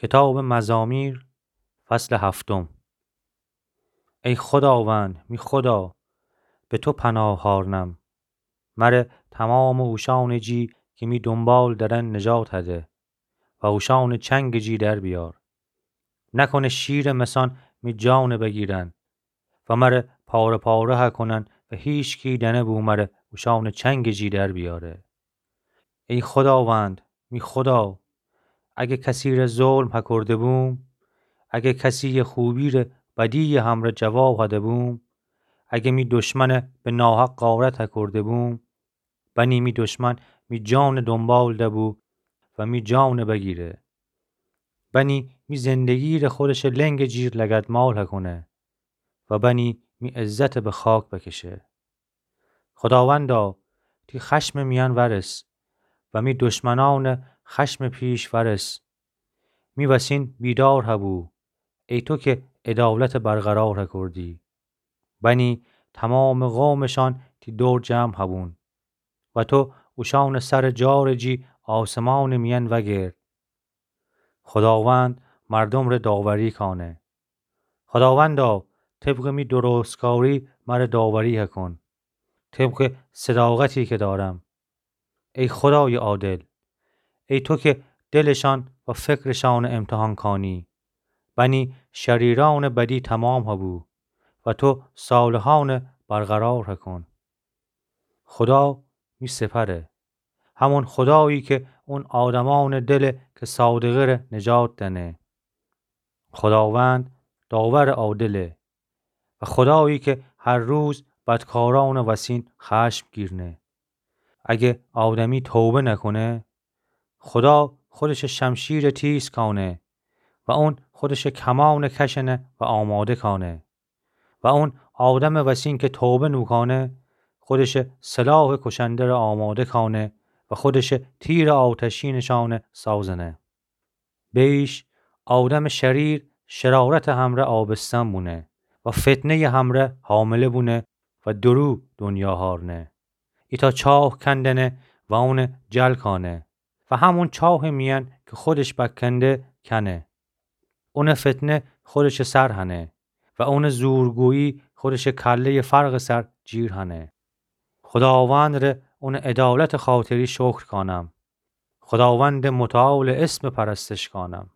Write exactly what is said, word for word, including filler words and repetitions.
کتابٚ مزامیر، فصلٚ هفتم. ای خوداوند، می خودا، به تو پناه هارنم. مره تومامٚ اوشأنٚ جی کی می دونبال درن نجات هده و اوشأنٚ چنگٚ جی در بیار. نکنه شیرٚ مسأن می جانٚ بگیرن و مره پاره پاره هکنن و هیچکی دنه‌بو مره اوشأنٚ چنگٚ جی در بیاره. ای خوداوند، می خودا، اگه کسی‌ره ظلم هکرده‌بوم، اگه کسی‌یٚ خوبی‌ره بدی‌یٚ همرأ جواب هده‌بوم، اگه می دشمنه به ناحق غارت هکرده‌بوم، بنی می دشمن می جانٚ دونبال دبو و می جانٚ بگیره. بنی می زندگی‌ره خودشٚ لنگٚ جیر لگدمال هکونه و بنی می عزته به خاک بکشه. خوداوندا، تی خشمٚ میأن ورس و می دشمنأنٚ خشمٚ پیش ورس. می وسین بیدار هبو، ای تو که عدالت برقرار هکردی. بنی تومامٚ قومشأن تی دور جمع هبون و تو اوشأنٚ سرٚ جارٚ جی آسمانٚ میأن وگرد. خوداوند مردومٚ ره داوری کانه. خوداوندا، طبقٚ می درستکاری مره داوری هکن، طبقٚ صداقتی که دارم. ای خودایٚ عادل، ای تو که دلشأن و فکرشأنٚ امتحان کانی، بنی شریرأنٚ بدی تومام هبو و تو صالحأنٚ برقرار هکن. خودا می سپره، همون خودایی که اون آدمأنٚ دله که صادقه‌ره نجات دنه. خوداوند داورٚ عادله و خودایی که هر روز بدکارأنٚ وسین خشم گیرنه. اگه آدمی توبه نکونه، خودا خودشٚ شمشیره تیز کانه و اون خودشٚ کمأنه کشنه و آماده کانه. و اون آدمٚ وسین که توبه نوکانه، خودشٚ سلاحٚ کشنده‌ره آماده کانه و خودشٚ تیرٚ آتشینشأنه سازنه. بیش، آدمٚ شریر شرارتٚ همرأ آبستن بونه و فتنه‌یٚ همرأ حامله بونه و دورو دنیا هارنه. ایتأ چاه کندنه و اونٚ جل کانه و همون چاهٚ میأن که خودش بکنده کنه. اونٚ فتنه خودشٚ سر هنه و اونٚ زورگویی خودشٚ کله‌یٚ فرقٚ سر جیر هنه. خوداوندٚ ره اونٚ عدالتٚ خاطری شکر کانم. خوداوندٚ متعالٚ اسم پرستش کانم.